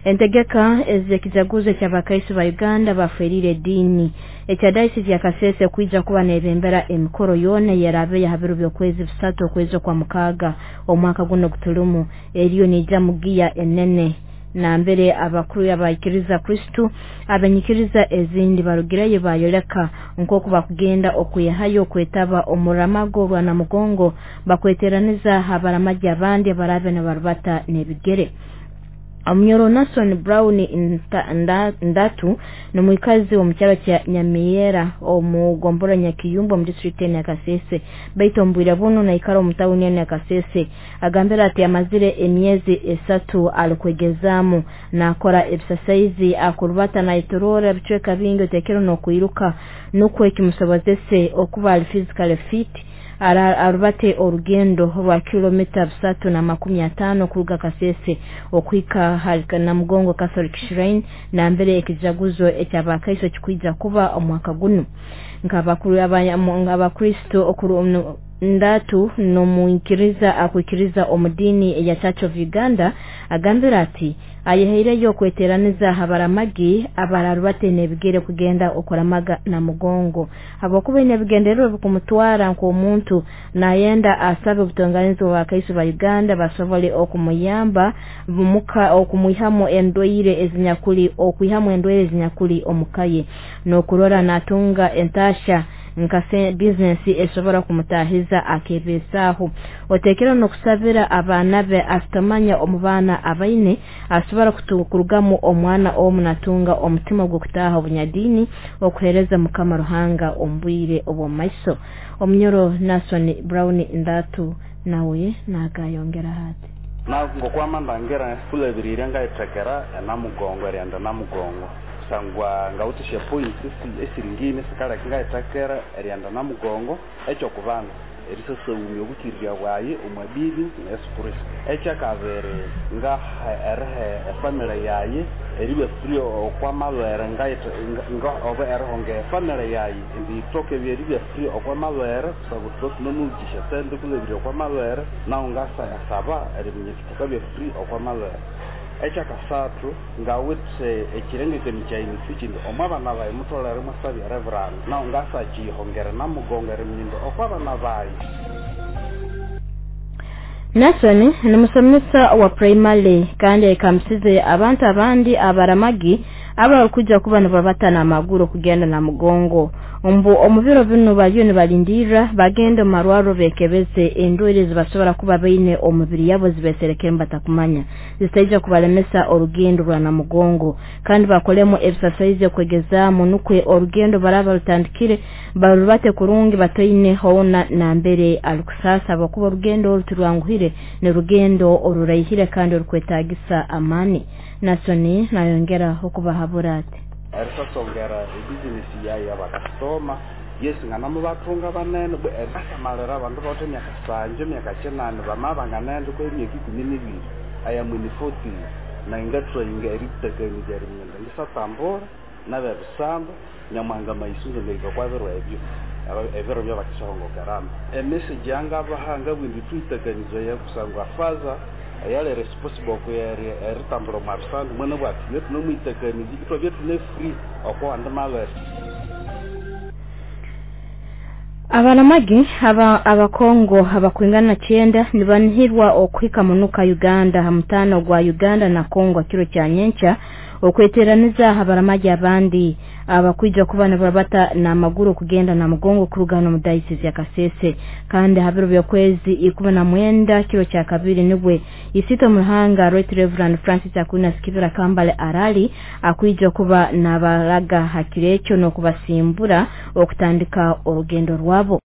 Entegeka ez'ekijaguzo eky'Abakaiso ba Uganda baferiire ediini ekya Dayosisi ya Kasese kwija kuba nebembera emikoro yoona eyeraabeyo ha biro by'okwezi 3 okwezi okwa 6 omwaka guno gutulimu, eriyo niija mugiya enene nambere abakuru abaikiriza Kristo abenyikiriza ezindi barugireyo bayoleka nk'oku bakugenda okwihayo okwetaba omuramago rwa Namugongo, bakweteraniza abaramagi abandi abarabe nibarubata n'ebigere. Omunyoro Nason Brown Ndatu n'omwikazi omu kyaro kya Nyamiyera omu gombora Nyakiyumba omu disitulikiti ya Kasese, baitu omu bwire buno naikara omu tawuni ya Kasese. Agambira ati amazire emyezi 3 alikwegezaamu nakora ebisasaizi akurubata nayetoroora ebicweka bingi otekere n'okwiruka nukwo ekimusobozese okuba ali physically fit arubate orugendo rwa kilomita 350 kuruga Kasese okuhika hali Namugongo Catholic Shrine nambere ekijaguzo eky'Abakaiso kikwija kuba omwaka guno. Nk'abakuru Abakristo Ndatu n'omwikiriza akwikiriza omu diini eya Church of Uganda agambira ati ayehaireyo okweteraniza abaramagi abararubate n'ebigere kugenda okuramaga Namugongo, habwokuba ine ebigendererwa bikumutwara nk'omuntu nayenda asabe obutonganizi bw'Abakaiso ba Uganda basobole okumuyamba muka okumwihamu endwaire ezinyakuli okwihamu endwaire ezinyakuli omukaye n'okurora natunga entasha nka bizinesi esobora kumutahiza akebesaaho. Otekera n'okusabira abaana be asitamanya omu baana abaine asobora kurugamu omwana omu natunga omutima gw'okutaaha obunyadiini okuheereza Mukama Ruhanga omu bwire obw'omumaiso. Omunyoro Nason Brown Ndatu nawe nagayongera ati ngokwama ndangira kulabirire ngayitekera enamugongo erighenda Namugongo kusangwa ngawithe points esiringine sikaleka ngayitekera erighenda Namugongo. Ekyokubanza erisasawumya obukirirya bwayi omwa dini ya Yesu Kristo. Ekyakabiri ngaha eriha efamily yayi eribya free okwamalwere oba erihonga efamily yayi indi yithoke eribya free okwamalwere kusangwa thuthe thunemuwukisya sente kulabirira okwamalwere nahu ngasaba eriminya thukabya free okwamalwere. Ekyakasathu ngawithe ekirengekanyo kyayi nifuki indi omwabana bayi mutholere mwasabya reverend nahu ngasakiyihongera Namugongo eriminya indi okwabana bayi. Nason ni musomesa wa primary kandi ekamusize abantu abandi abaramagi abakuja kuba nibabata n'amaguru kugenda Namugongo. Mbu omu biro bino baliyo nibalindira bagenda omu marwaro bekebeze endwaire zibasobora kuba baine omubiri yabo zibeserekere batakumanya zitaija kubalemesa orugendo rwa Namugongo, kandi bakolemu ebisasaizi okwegezaamu nukwe orugendo baraba rutandikire barubate kurungi bataine hoona nambere alikusasa, abakuba orugendo oru tirwanguhire, ni rugendo oruraihire kandi orukwetagisa amani. Nasoni nayongera okubahabura ati erisasongera ebizinesi yayi abakasitoma yesi nganamubathunga banene erisamalira abandu bawithe emyaka 7 emyaka 8 bamaba banganende kwa emyaka 12 aya mwini 40 nayi ngathrayinga eritakanizya eriminya ngisatambura nabebisambu Nyamuhanga mayisunzu ngahika kwa biro ebyo ebiro byabakisahongokerana. Emessage yangabaha ngabugha indi thuyitakanizaya kusangwa faza eyali responsible eritambura omwa bisandu mwana bwathu thubye thunemuyitakanizya ithwabya thune free okwawandi malwere. Abaramagi Abakongo abakwingana 9 nibanihirwa okuhika munuka Uganda ha mutano gwa Uganda na Kongo kiro kya nyenkya okweteraniza abaramagi abandi abakwija kuba nibarabata n'amaguru kugenda Namugongo kuruga mu Dayosisi ya Kasese, kandi ha biro by'okwezi 19 kiro kya kabiri nibwe Isito Muhanga Right Reverend Francis Aquinas Kibira Kambale Arali akwija kuba nabaraga hakirekyo n'okubasimbura okutandika orugendo rwabo.